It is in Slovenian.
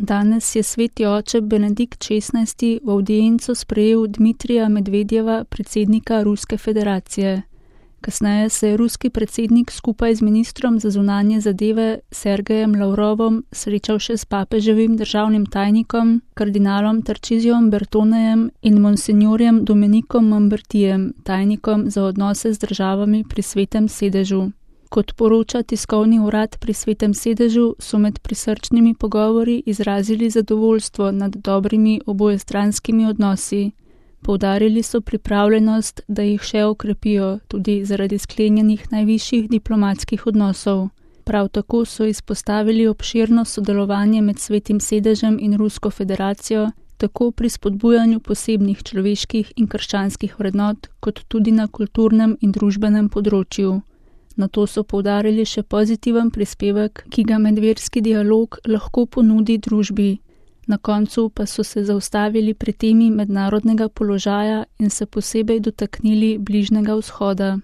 Danes je sveti oče Benedikt XVI. V avdienco sprejel Dmitrija Medvedjeva, predsednika Ruske federacije. Kasneje se je ruski predsednik skupaj z ministrom za zunanje zadeve Sergejem Lavrovom srečal še s papeževim državnim tajnikom, kardinalom Tarčizijom Bertonejem in monsinjorjem Domenikom Mambertijem, tajnikom za odnose z državami pri Svetem sedežu. Kot poroča tiskovni urad pri Svetem sedežu, so med prisrčnimi pogovori izrazili zadovoljstvo nad dobrimi obojestranskimi odnosi. Poudarili so pripravljenost, da jih še okrepijo, tudi zaradi sklenjenih najvišjih diplomatskih odnosov. Prav tako so izpostavili obširno sodelovanje med Svetim sedežem in Rusko federacijo, tako pri spodbujanju posebnih človeških in krščanskih vrednot, kot tudi na kulturnem in družbenem področju. Nato so poudarili še pozitiven prispevek, ki ga medverski dialog lahko ponudi družbi. Na koncu pa so se zaustavili pri temi mednarodnega položaja in se posebej dotaknili Bližnjega vzhoda.